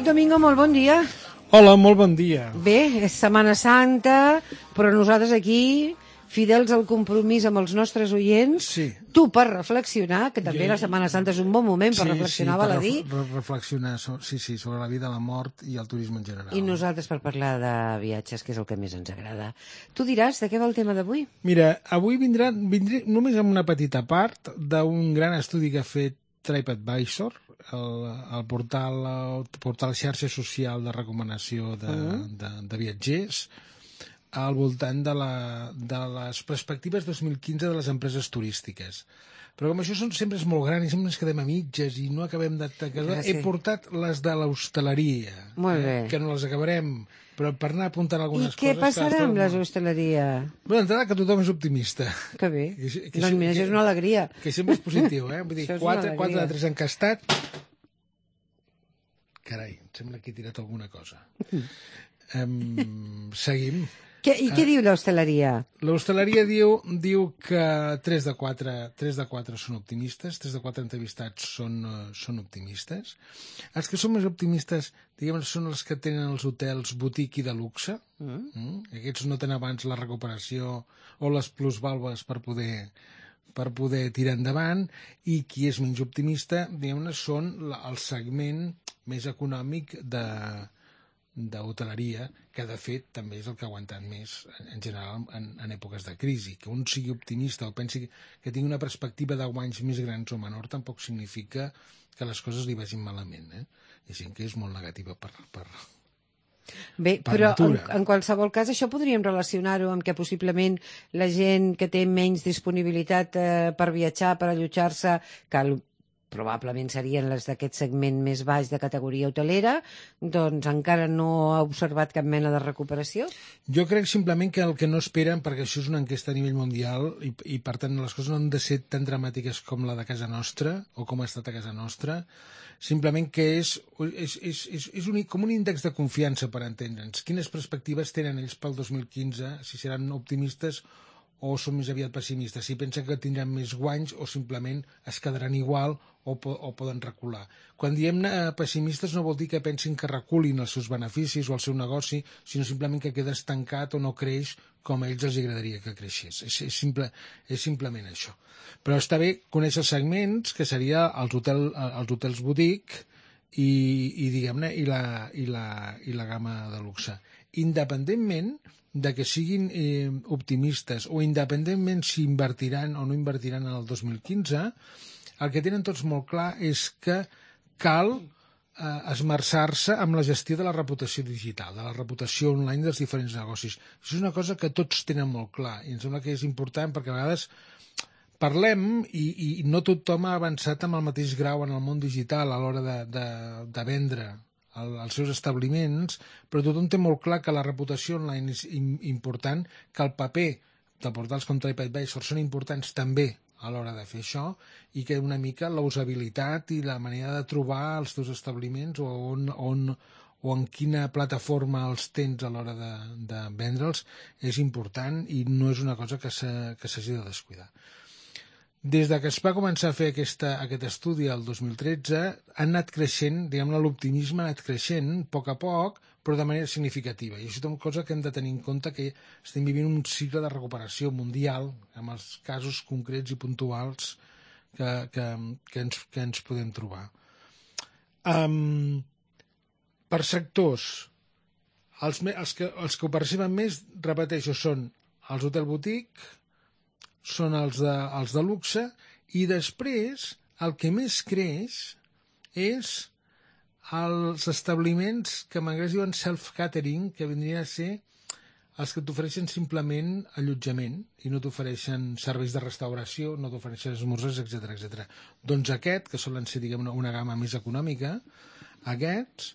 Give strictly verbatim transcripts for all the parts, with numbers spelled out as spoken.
Enric Domingo, molt bon dia. Hola, molt bon dia. Bé, és Setmana Santa, però nosaltres aquí, fidels al compromís amb els nostres oients, Sí. tu per reflexionar, que també Jo- la Setmana Santa és un bon moment per Sí, reflexionar, sí, val per a dir, ref- re- reflexionar so- sí, sí, sobre la vida, la mort i el turisme en general. i nosaltres per parlar de viatges, que és el que més ens agrada. Tu diràs de què va el tema d'avui? Mira, avui vindrà, vindré només amb una petita part d'un gran estudi que ha fet TripAdvisor, el, el portal, el portal xarxa social de recomanació de, Mm. de, de viatgers, al voltant de, la, de les perspectives dos mil quinze de les empreses turístiques. Però com això són, sempre és molt gran i sempre ens quedem a mitges i no acabem de... Clar, sí. He portat les de l'hostaleria, Molt bé. eh, que no les acabarem, però per anar apuntant I algunes què coses... que passarà les amb trobo la molt- hostaleria? Bé, d'entrada que tothom és optimista. Que bé. Que- que- Doncs mira, que- això és una alegria. Que sempre és positiu, eh? Vull dir, Això és una quatre, alegria. quatre de tres encastat. Carai, em sembla que he tirat alguna cosa. Um, seguim. Què, I què diu l'hostaleria? L'hostaleria diu, diu que tres de quatre, tres de quatre són optimistes, tres de quatre entrevistats són, uh, són optimistes. Els que són més optimistes, diguem, són els que tenen els hotels boutique i de luxe. Mm. Mm? Aquests no tenen abans la recuperació o les plusvàlues per poder per poder tirar endavant, i qui és menys optimista, diguem-ne, són la, el segment més econòmic de d'hoteleria, que de fet també és el que ha aguantat més en general en, en èpoques de crisi. Que un sigui optimista o pensi que tingui una perspectiva de guanys més grans o menor tampoc significa que les coses li vagin malament, eh? Hi ha gent que és molt negativa per, per, Bé, per però en, natura. en qualsevol cas això podríem relacionar-ho amb que possiblement la gent que té menys disponibilitat eh, per viatjar, per allotjar-se, que el, probablement serien les d'aquest segment més baix de categoria hotelera, doncs encara no ha observat cap mena de recuperació? Jo crec simplement que el que no esperen, perquè això és una enquesta a nivell mundial i, i per tant les coses no han de ser tan dramàtiques com la de casa nostra o com ha estat a casa nostra, simplement que és, és, és, és, és un, com un índex de confiança per entendre'ns. Quines perspectives tenen ells pel dos mil quinze, si seran optimistes o són més aviat pessimistes, si pensen que tindran més guanys o simplement es quedaran igual o, po o poden recular. Quan diem eh, pessimistes no vol dir que pensin que reculin els seus beneficis o el seu negoci, sinó simplement que queda estancat o no creix com a ells els agradaria que creixés. És, és, simple, és simplement això. Però està bé conèixer els segments, que seria els, hotel, els hotels boutique i, i diguem-ne, i la, i, la, i la gamma de luxe. Independentment de que siguin eh, optimistes o independentment si invertiran o no invertiran en el dos mil quinze, el que tenen tots molt clar és que cal eh, esmerçar-se amb la gestió de la reputació digital, de la reputació online dels diferents negocis. Això és una cosa que tots tenen molt clar i em sembla que és important perquè a vegades parlem i, i no tothom ha avançat amb el mateix grau en el món digital a l'hora de, de, de vendre el, els seus establiments, però tothom té molt clar que la reputació online és important, que el paper de portals com TripAdvisor són importants també a l'hora de fer això i que una mica la usabilitat i la manera de trobar els teus establiments o, on, on, o en quina plataforma els tens a l'hora de, de vendre'ls és important i no és una cosa que s'hagi de descuidar. Des de que es va començar a fer aquesta, aquest estudi el dos mil tretze, ha anat creixent, diguem-ne, l'optimisme ha anat creixent a poc a poc, però de manera significativa. I això és una cosa que hem de tenir en compte, que estem vivint un cicle de recuperació mundial, amb els casos concrets i puntuals que, que, que, ens, que ens podem trobar. Um, per sectors, els, els, que, els que ho perceben més, repeteixo, són els hotel boutique, són els de, els de luxe, i després el que més creix és els establiments que en anglès diuen self-catering, que vindrien a ser els que t'ofereixen simplement allotjament i no t'ofereixen serveis de restauració, no t'ofereixen esmorzars, etcètera, etcètera. Doncs aquest, que solen ser, diguem, una, una gamma més econòmica, aquests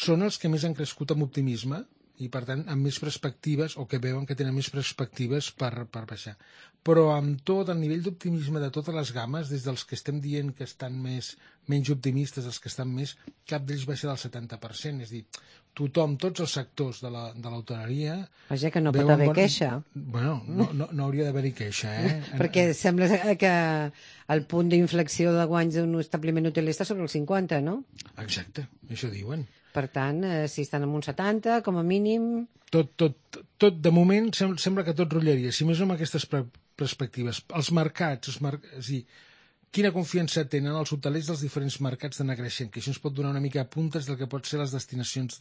són els que més han crescut amb optimisme i, per tant, amb més perspectives, o que veuen que tenen més perspectives per, per baixar. Però amb tot el nivell d'optimisme de totes les gammes, des dels que estem dient que estan més, menys optimistes, els que estan més, cap d'ells baixa del setanta per cent. És a dir, tothom, tots els sectors de l'hoteleria... Vaja, que no pot haver bon... queixa. Bueno, no, no, no hauria d'haver-hi queixa, eh? Perquè sembla que el punt d'inflexió de guanys d'un establiment hoteler està sobre el cinquanta, no? Exacte, això diuen. Per tant, eh, si estan en un setanta, com a mínim... Tot, tot, tot de moment, sem sembla que tot rotllaria, si més no amb aquestes pre perspectives. Els mercats, els mar és a dir, quina confiança tenen els hotelers dels diferents mercats d'anar creixent, que això ens pot donar una mica puntes del que pot ser les destinacions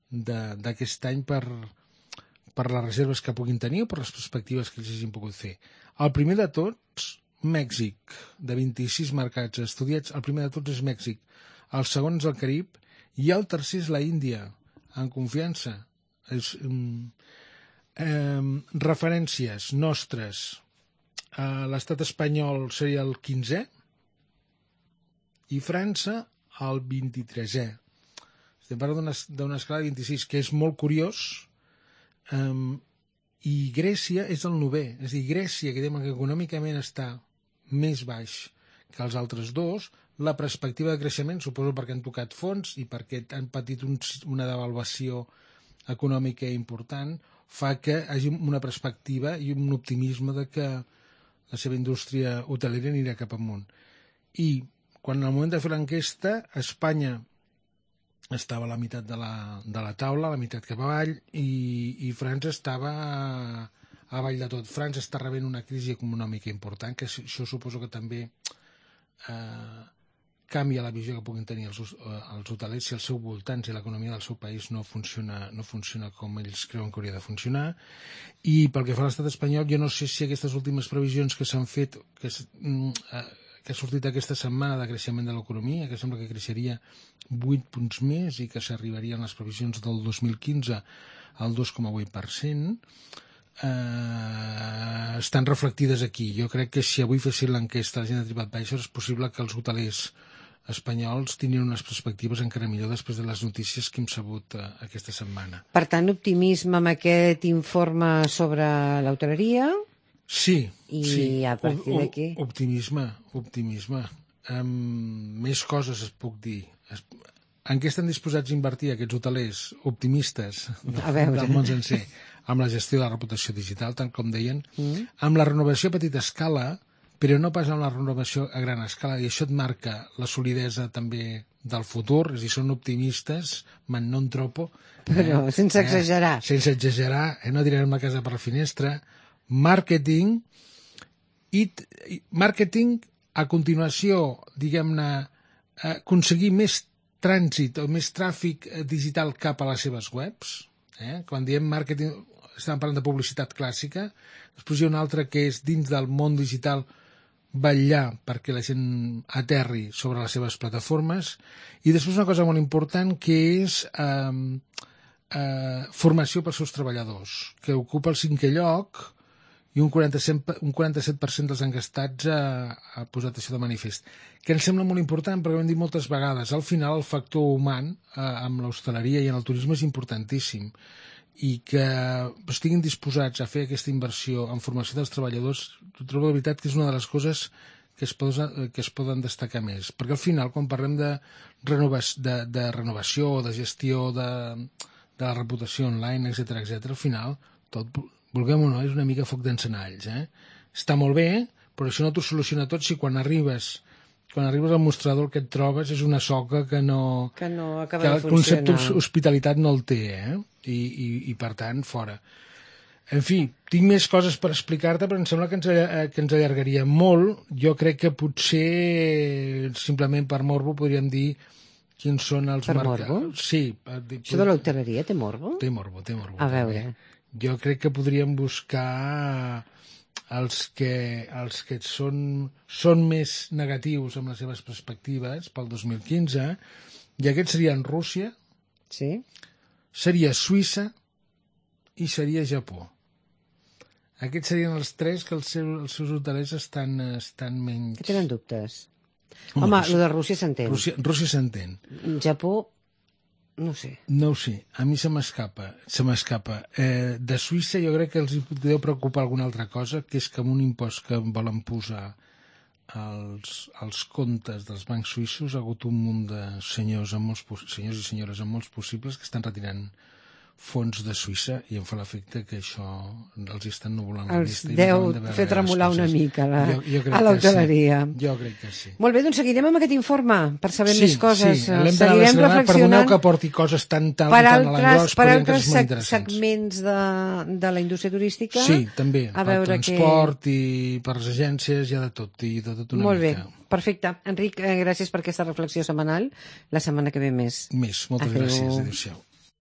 d'aquest any per, per les reserves que puguin tenir o per les perspectives que ells hagin pogut fer. El primer de tots, Mèxic, de vint-i-sis mercats estudiats, el primer de tots és Mèxic, el segon és el Carib i el tercer és la Índia, en confiança. És, um, um, referències nostres, Uh, l'estat espanyol seria el quinzè i França el vint-i-tresè. Estem parlant d'una escala de vint-i-sis, que és molt curiós, um, i Grècia és el novè. És a dir, Grècia, que dèiem que econòmicament està més baix que els altres dos, la perspectiva de creixement, suposo perquè han tocat fons i perquè han patit un, una devaluació econòmica important, fa que hi hagi una perspectiva i un optimisme de que la seva indústria hotelera anirà cap amunt. I quan en el moment de fer l'enquesta, Espanya estava a la meitat de la, de la taula, a la meitat cap avall, i, i França estava a, a avall de tot. França està rebent una crisi econòmica important, que això suposo que també eh, canvia la visió que puguin tenir els, els hotelers si al seu voltant, si l'economia del seu país no funciona, no funciona com ells creuen que hauria de funcionar. I pel que fa a l'estat espanyol, jo no sé si aquestes últimes previsions que s'han fet, que, que ha sortit aquesta setmana de creixement de l'economia, que sembla que creixeria vuit punts més i que s'arribarien les previsions del dos mil quinze al dos coma vuit per cent, eh, estan reflectides aquí. Jo crec que si avui fessin l'enquesta a la gent de TripAdvisor és possible que els hotelers espanyols tinguin unes perspectives encara millor després de les notícies que hem sabut uh, aquesta setmana. Per tant, optimisme amb aquest informe sobre l'hoteleria? Sí, I sí. a partir d'aquí? Optimisme, optimisme. Um, més coses es puc dir. Es, en què estan disposats a invertir aquests hotelers optimistes del món sencer? Amb la gestió de la reputació digital, tant com deien, mm. amb la renovació a petita escala, però no pas amb la renovació a gran escala, i això et marca la solidesa també del futur, és a dir, són optimistes, man non troppo. Però eh, sense exagerar. Eh, sense exagerar, eh, no tirarem la casa per la finestra. Màrqueting, i màrqueting a continuació, diguem-ne, eh, aconseguir més trànsit o més tràfic digital cap a les seves webs. Eh? Quan diem màrqueting, estem parlant de publicitat clàssica, després hi ha una altra que és dins del món digital vetllar perquè la gent aterri sobre les seves plataformes, i després una cosa molt important que és eh, eh, formació pels seus treballadors, que ocupa el cinquè lloc, i un quaranta-set per cent dels enquestats ha, ha posat això de manifest, que ens sembla molt important perquè ho hem dit moltes vegades. Al final el factor humà eh, amb l'hostaleria i en el turisme és importantíssim, i que estiguin disposats a fer aquesta inversió en formació dels treballadors, trobo de veritat que és una de les coses que es, poden, que es poden destacar més. Perquè al final, quan parlem de, renovació, de, de renovació, de gestió de, de la reputació online, etcètera, etcètera, al final, tot, vulguem o no, és una mica foc d'encenalls. Eh? Està molt bé, però això no t'ho soluciona tot si quan arribes quan arribes al mostrador el que et trobes és una soca que no... Que no acaba que de funcionar. El concepte hospitalitat no el té, eh? I, i, i per tant, fora. En fi, tinc més coses per explicar-te, però em sembla que ens, que ens allargaria molt. Jo crec que potser, simplement per morbo, podríem dir quins són els... Per marca... morbo? Sí. Això de l'hoteleria té morbo? Té morbo, té morbo. A veure. Jo crec que podríem buscar els que, els que són, són més negatius amb les seves perspectives pel dos mil quinze, i aquests serien Rússia, sí, seria Suïssa i seria Japó. Aquests serien els tres que els seus, els seus hotelers estan, estan menys... Que tenen dubtes. Home, Home Rússia, el de Rússia s'entén. Rússia, Rússia s'entén. Japó, no sé. No ho sé, a mi se m'escapa, se m'escapa. Eh, de Suïssa jo crec que els deu preocupar alguna altra cosa, que és que amb un impost que volen posar als, als comptes dels bancs suïssos ha hagut un munt de senyors, amb molts, senyors i senyores amb molts possibles que estan retirant fons de Suïssa i em fa l'efecte que això els estan nuvolant la Els vista. i no deu acaben de veure fer tremolar les una coses. mica la- Jo- jo crec a que l'hoteleria. Sí. Jo crec que sí. Molt bé, doncs seguirem amb aquest informe per saber Sí, més coses. sí, l'hem d'anar Seguirem desgranant, perdoneu reflexionant que porti coses tan tal per i tan a altres, l'engròs, per però hi ha altres coses molt seg interessants. segments de, de la indústria turística. Sí, també, A per veure transport i per les agències, hi ha de tot, i de tot una Molt mica. bé, perfecte. Enric, eh, gràcies per aquesta reflexió setmanal. La setmana que ve més. Més, moltes Adéu. gràcies, adéu-siau.